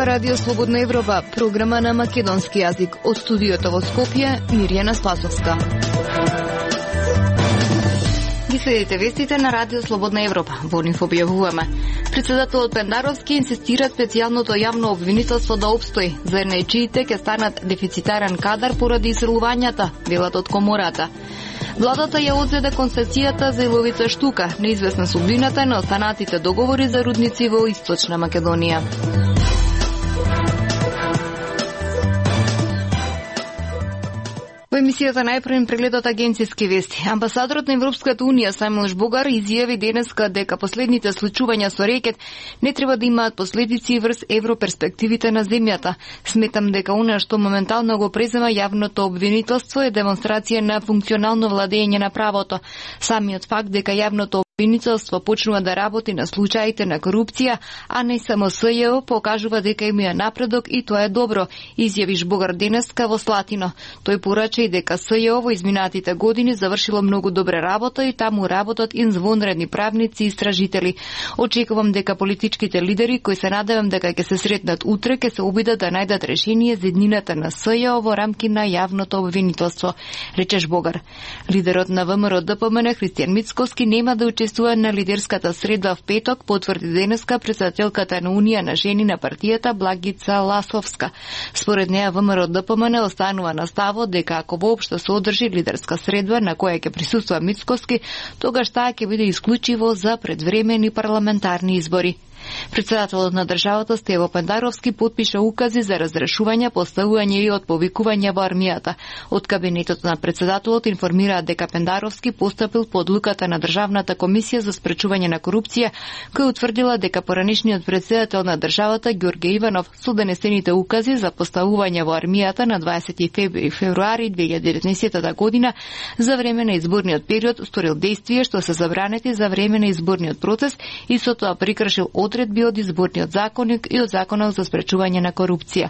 Радио Слободна Европа, програма на македонски јазик. Од студиото во Скопје, Мирјана Спасовска. Ги следите вестите на Радио Слободна Европа. Во нив објавуваме. Председателот Пендаровски инсистира специјалното јавно обвинителство да обстои, за најчиите ќе станат дефицитарен кадар поради исрелувањата, велат од комората. Владата ја одзеде концесијата за Иловица Штука, неизвестна судбината на останатите договори за рудници во Источна Македонија. Во емисијата најпрвен прегледот агенцијски вести. Амбасадорот на Европската Унија Сајмон Жбогар изјави денеска дека последните случувања со рекет не треба да имаат последици врз европерспективите на земјата. Сметам дека она што моментално го презема јавното обвинителство е демонстрација на функционално владење на правото. Самиот факт дека јавното обвинителство почнува да работи на случаите на корупција, а не само СЈО, покажува дека има напредок и тоа е добро, изјави Жбогар денеска во Слатино. Тој порача и дека СЈО во изминатите години завршило многу добра работа и таму работат извонредни правници и истражители. Очекувам дека политичките лидери кои се надевам дека ќе се сретнат утре ќе се обидат да најдат решение за еднината на СЈО во рамки на јавното обвинителство, рече Жбогар. Лидерот на ВМРО ДПМН Христијан Мицкоски нема да учествува на лидерската средба в петок, потврди денеска председателката на Унија на жени на партијата Благица Ласовска. Според неа ВМРО ДПМН останува на ставот дека ако воопшто се одржи лидерска средба на која ќе присуствува Мицкоски, тогаш таа ќе биде исклучиво за предвремени парламентарни избори. Председателот на државата Стево Пендаровски потпиша укази за разрешување, поставување и отповикување во армијата. Од кабинетот на председателот информираат дека Пендаровски постапил по одлуката на Државната комисија за спречување на корупција, која утврдила дека поранешниот председател на државата Ѓорѓе Иванов со донесените укази за поставување во армијата на 20 февруари 2019 година за време на изборниот период сторил действија што се забранети за време на изборниот процес и со тоа прекршил одредби од изборниот законник и од законот за спречување на корупција.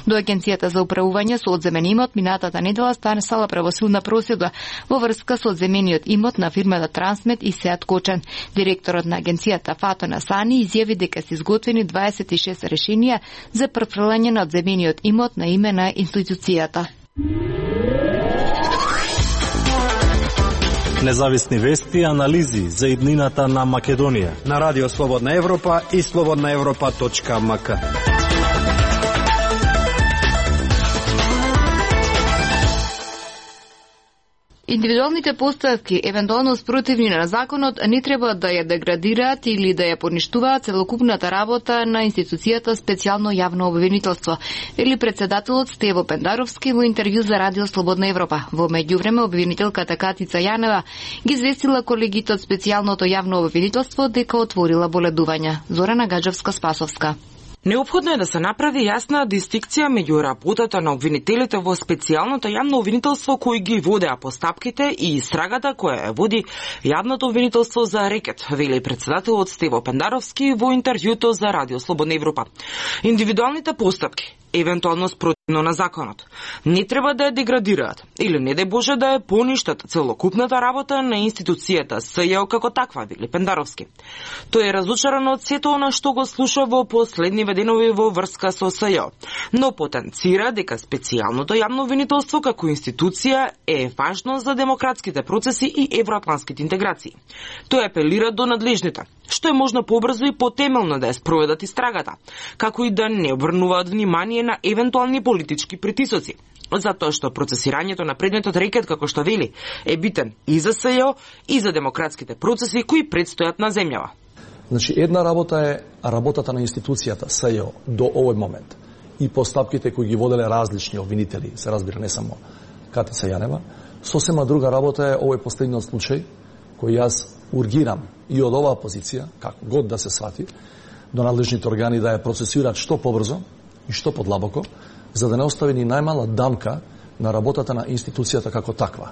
До Агенцијата за управување со одземен имот минатата недела станала правосудна проседба во врска со одземениот имот на фирмата Трансмет и Сеат Кочан. Директорот на агенцијата Фато Насани изјави дека се изготвени 26 решенија за префрлање на одземениот имот на име на институцијата. Независни вести и анализи за иднината на Македонија на Радио Слободна Европа и slobodnaevropa.mk. Индивидуалните поставки, евентуално спротивни на законот, не треба да ја деградираат или да ја поништуваат целокупната работа на институцијата специјално јавно обвинителство, вели председателот Стево Пендаровски во интервју за Радио Слободна Европа. Во меѓувреме обвинителката Катица Јанева ги известила колегите од специјалното јавно обвинителство дека отворила боледувања. Зорана Гаджевска-Спасовска. Неопходно е да се направи јасна дистинкција меѓу работата на обвинителите во специјалното јавно обвинителство кои ги водеа постапките и истрагата која ја води јавното обвинителство за рекет, вели председателот Стево Пендаровски во интервјуто за Радио Слободна Европа. Индивидуалните постапки, евентуално спротивно на законот, не треба да ја деградираат или не дај Боже да ја поништат целокупната работа на институцијата СЈО како таква, вели Пендаровски. Тој е разочаран од сето она што го слуша во последни денови во врска со СЈО, но потенцира дека специјалното јавно обвинителство како институција е важно за демократските процеси и евроатлантските интеграции. Тој апелира до надлежните, што е можно побрзо и потемелно да ја спроведат истрагата, како и да не обрнуваат внимание на евентуални политички притисоци, затоа што процесирањето на предметот рекет, како што вели, е битен и за СЈО и за демократските процеси кои предстојат на земјава. Значи, една работа е работата на институцијата СЈО до овој момент и постапките кои ги воделе различни обвинители, се разбира не само Катица Јанева. Сосема друга работа е овој последниот случај кој јас ургирам и од оваа позиција, како год да се свати, до надлежните органи да ја процесираат што побрзо и што подлабоко, за да не остави ни најмала дамка на работата на институцијата како таква.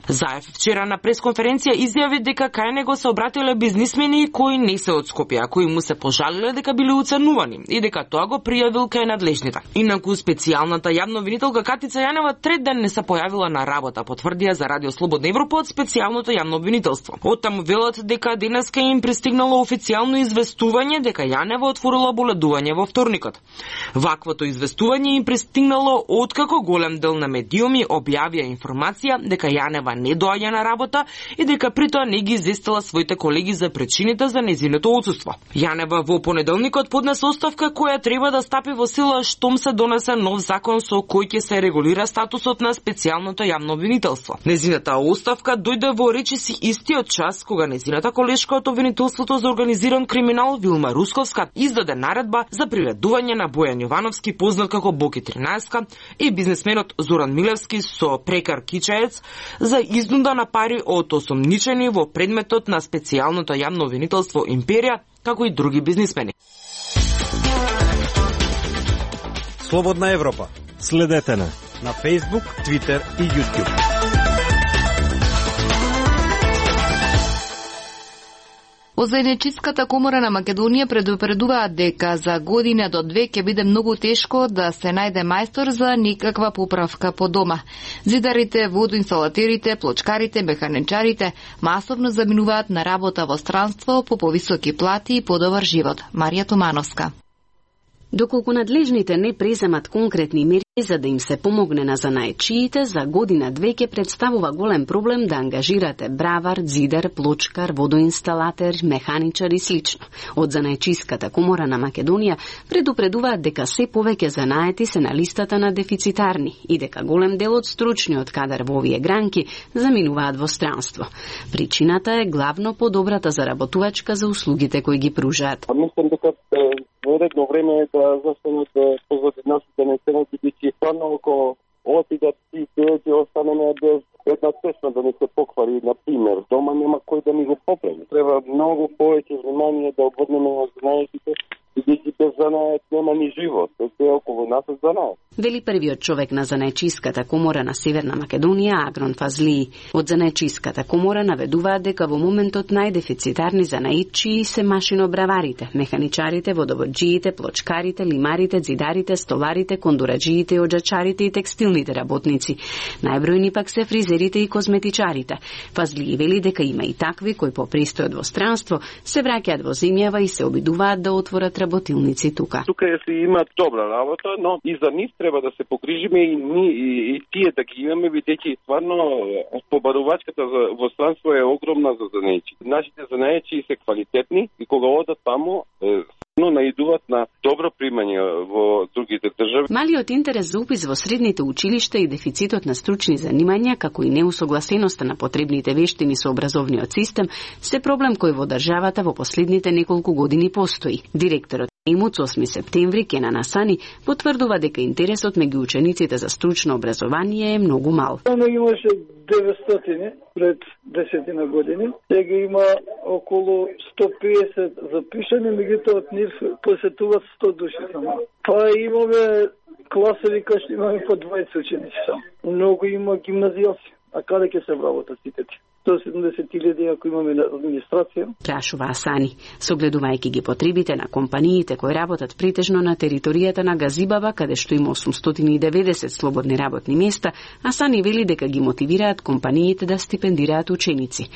Заев вчера на пресконференција изјави дека кај него се обратиле бизнисмени кои не се од Скопје, а кои му се пожалиле дека биле уценувани и дека тоа го пријавил кај надлежните. Инаку специјалната јавна обвинителка Катица Јанева трет ден не се појавила на работа, потврдија за Радио Слободна Европа од специјалното јавно обвинителство. Оттаму велат дека денеска им пристигнало официјално известување дека Јанева отворила боледување во вторникот. Ваквото известување им пристигнало откако голем дел на медиуми објавија информација дека Јанева не доаѓа на работа и дека притоа не ги известила своите колеги за причините за нејзиното отсуство. Јанева во понеделникот поднесе оставка која треба да стапи во сила штом се донесе нов закон со кој ќе се регулира статусот на специјалното јавно обвинителство. Нејзината оставка дојде во речиси истиот час кога нејзината колешка од обвинителството за организиран криминал Вилма Русковска издаде наредба за приведување на Бојан Јовановски, познат како Боки 13, и бизнисменот Зоран Милевски со Прекар Кичаец за изнуда на пари од осомничени во предметот на специјалното јавно обвинителство Империја, како и други бизнисмени. Слободна Европа. Следете на Facebook, Twitter и YouTube. Од Заедничката комора на Македонија предупредуваат дека за година до 2 ќе биде многу тешко да се најде мајстор за никаква поправка по дома. Зидарите, водоинсталатерите, плочкарите, механичарите масовно заминуваат на работа во странство по повисоки плати и подобар живот. Марија Томановска. Доколку надлежните не преземат конкретни мерки за да им се помогне на занаечиите, за година 2 ќе представува голем проблем да ангажирате бравар, зидар, плочкар, водоинсталатер, механичар и слично. Од Занаечиската комора на Македонија предупредуваат дека се повеќе занаети се на листата на дефицитарни и дека голем дел од стручниот кадар во овие гранки заминуваат во странство. Причината е главно подобрата заработувачка за услугите кои ги пружаат. Мислам дека во редно време е да застанат позади нашите населници, бидејќи стварно ако отидат и ќе останеме без една тесна да не се поквари, на пример, дома нема кој да ни го поправи. Треба многу повеќе внимание да обрнеме на занаетите, бидејќи без занает нема ни живот. Се околу нас е занает. Вели првиот човек на Занаечиската комора на Северна Македонија, Агрон Фазлии. Од Занаечиската комора наведуваат дека во моментот најдефицитарни занаетчии се машинобраварите, механичарите, водоводжиите, плочкарите, лимарите, зидарите, столарите, кондураджиите, оджачарите и текстилните работници. Најбројни пак се фризерите и козметичарите. Фазлии вели дека има и такви кои по престојот во странство се враќаат во земјава и се обидуваат да отворат работилници тука. Тука се има добра работа, но и за нив треба да се погрижиме и тие да ги имаме, бидејќи стварно побарувачката во странство е огромна за занаечи. Нашите занаечи се квалитетни и кога одат таму но наидуваат на добро примање во другите држави. Малиот интерес за упис во средните училишта и дефицитот на стручни занимања, како и неусогласеноста на потребните вештини со образовниот систем, се проблем кој во државата во последните неколку години постои. Директорот ИМУЦ 8 септември Кенан Асани потврдува дека интересот меѓу учениците за стручно образование е многу мал. Имаше 900 пред 10 години, сега има околу 150 запишани, меѓутоа од нив посетуваат 100 души само. Па имаме класови кај што имаме по 20 ученици само. Многу има гимназијалци. А каде ќе се вработат сите ти? 170.000 ако имаме администрација. Прашува Асани, согледувајќи ги потребите на компаниите кои работат претежно на територијата на Газибаба, каде што има 890 слободни работни места, Асани вели дека ги мотивираат компаниите да стипендираат ученици.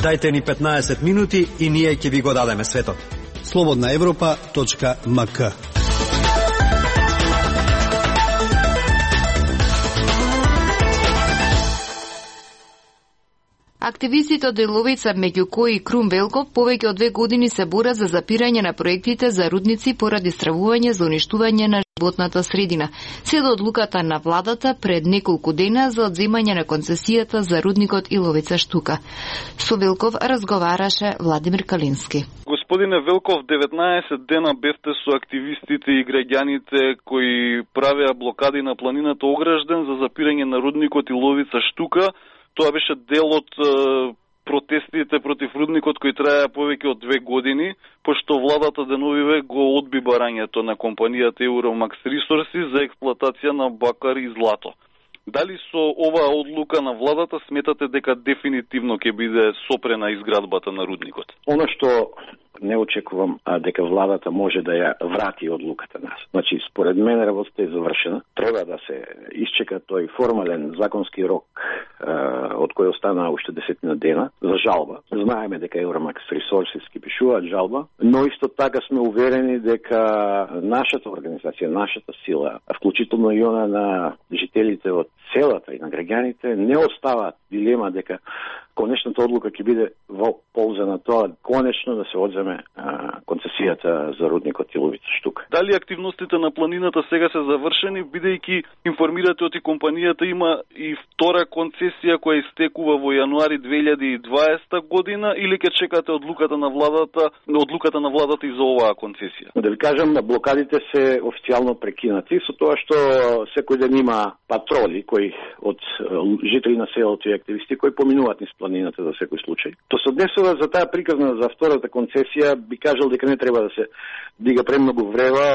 Дајте ни 15 минути и ние ќе ви го дадеме светот. slobodnaevropa.mk. Активистите од Деловица, меѓу кои Крум Велков, повеќе од 2 години се борат за запирање на проектите за рудници поради стравување за уништување на животната средина. Се до одлуката на владата пред неколку дена за одземање на концесијата за рудникот Иловица Штука. Со Велков разговараше Владимир Калински. Господине Велков, 19 дена бевте со активистите и граѓаните кои правеа блокади на планината Огражден за запирање на рудникот Иловица Штука. Тоа беше дел од протестите против рудникот кои траја повеќе од 2 години, пошто владата деновиве го одби барањето на компанијата Euromax Resources за експлоатација на бакар и злато. Дали со оваа одлука на владата сметате дека дефинитивно ќе биде сопрена изградбата на рудникот? Оно што не очекувам дека владата може да ја врати одлуката нас. Значи, според мене работата е завршена. Треба да се исчека тој формален законски рок од кој остана уште 10 дена за жалба. Знаеме дека Euromax Resources ќе пишуваат жалба, но исто така сме уверени дека нашата организација, нашата сила, вклучително и она на жителите од селата и на граѓаните, не оставаат дилема дека конечната одлука ќе биде во полза на тоа конечно да се одземе концесијата за рудникот Иловица Штука. Дали активностите на планината сега се завршени, бидејќи информирате од компанијата има и втора концесија која истекува во јануари 2020 година, или ќе чекате одлуката на владата и за оваа концесија? Да ви кажам, блокадите се официјално прекинати со тоа што секој ден има патроли кои од жители на селото и активисти кои поминуваат низ планината за секој случај. То се однесува за таа приказна за втората концесија, би кажал дека не треба да се дига премногу врева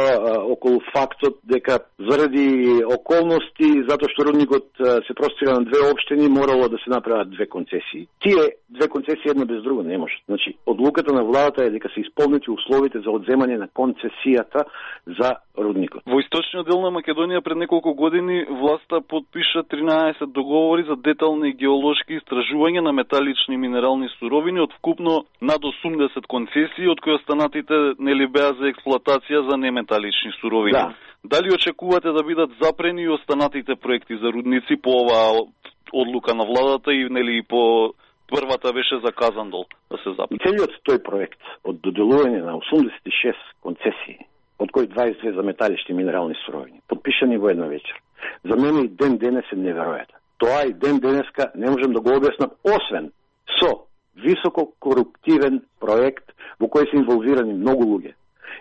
околу фактот дека заради околности, затоа што рудникот се простира на 2 општини, морало да се направат 2 концесии. Тие 2 концесии една без друга не може. Значи, одлуката на владата е дека се исполнети условите за одземање на концесијата за рудникот. Во источниот дел на Македонија пред неколку години власта подпиша 13 договори за детални геолошки истражувања на металични и минерални суровини од вкупно над 80 концесии, од кои останатите нели беа за експлоатација за неметалични суровини. Да. Дали очекувате да бидат запрени и останатите проекти за рудници по оваа одлука на владата и нели по првата беше за Казандол да се запрени? Целиот тој проект од доделување на 86 концесии, од кои 22 за металични и минерални суровини, подпишани во една вечер, за мене и ден денес е неверојатен. Тоа и ден денеска не можем да го објаснам, освен со високо коруптивен проект во кој се инволвирани многу луѓе.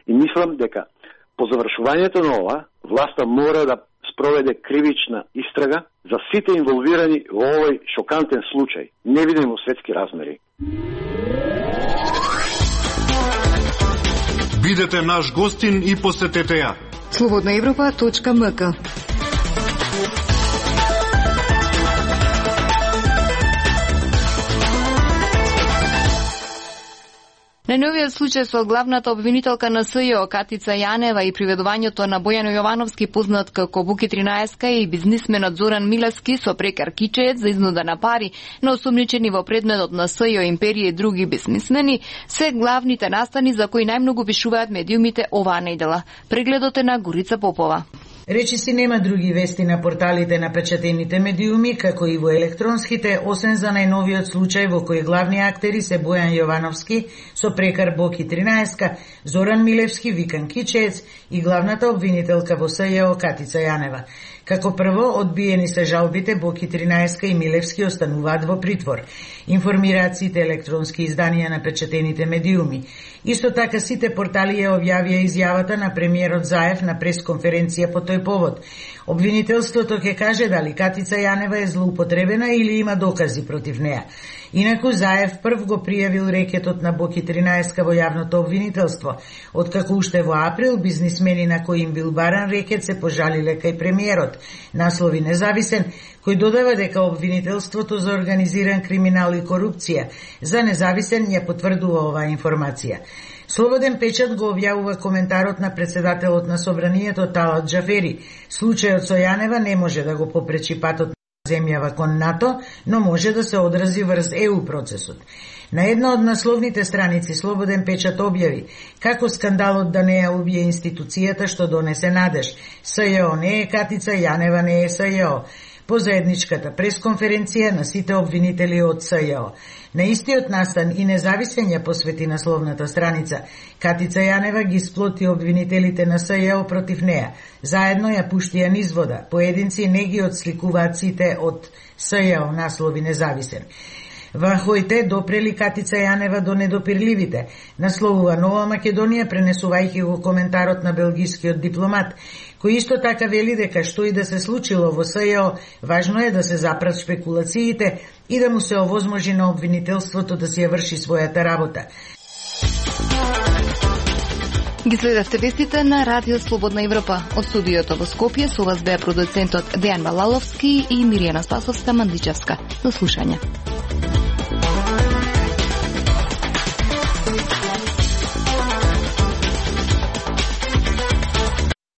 И мислам дека по завршувањето на ова, власта мора да спроведе кривична истрага за сите инволвирани во овој шокантен случај, невиден во светски размери. Бидете наш гостин и посетете ја. Slobodnaevropa.mk. На новиот случај со главната обвинителка на СЈО Катица Јанева и приведувањето на Бојано Јовановски, познат како Буки 13 и бизнисменот Зоран Милевски со прекар кичеец за изнуда на пари на осумничени во предметот на СЈО империја и други бизнисмени, се главните настани за кои најмногу пишуваат медиумите оваа недела. Прегледот е на Горица Попова. Речиси нема други вести на порталите на печатените медиуми, како и во електронските, освен за најновиот случај во кој главни актери се Бојан Јовановски со прекар Боки 13, Зоран Милевски викан кичеец и главната обвинителка во СЈО Катица Јанева. Како прво, одбиени се жалбите, Боки 13 и Милевски остануваат во притвор. Информираат сите електронски изданија на печатените медиуми. Исто така сите портали ја објавија изјавата на премиерот Заев на пресконференција по тој повод. Обвинителството ќе каже дали Катица Јанева е злоупотребена или има докази против неа. Инаку Заев прв го пријавил рекетот на Боки 13 во јавното обвинителство, откако уште во април бизнисмени на кои им бил баран рекет се пожалиле кај премиерот. Наслови Независен, кој додава дека обвинителството за организиран криминал и корупција за Независен ја потврдува оваа информација. Слободен печат го објавува коментарот на председателот на Собранието Талат Џафери. Случајот со Јанева не може да го попречи патот на земјава кон НАТО, но може да се одрази врз ЕУ процесот. На една од насловните страници Слободен печат објави како скандалот да не ја убие институцијата што донесе надеж. СЈО не е Катица, Јанева не е СЈО. По заедничката пресконференција на сите обвинители од СЈО. На истиот настан и Независен ја посвети насловната страница. Катица Јанева ги сплоти обвинителите на СЈО против неа. Заедно ја пуштија низ вода. Поединци не ги отсликуваат сите од СЈО, наслови Независен. Во Хојте допрели Катица Јанева до недопирливите, насловува Нова Македонија, пренесувајќи го коментарот на белгискиот дипломат, кој исто така вели дека што и да се случило во СЈО, важно е да се запрат шпекулациите и да му се овозможи на обвинителството да си ја врши својата работа. Ги следевте вестите на Радио Слободна Европа. Од студиото во Скопје со вас беа продуцентот Дејан Балаловски и Миријана Спасовска Мандличевска. До слушање.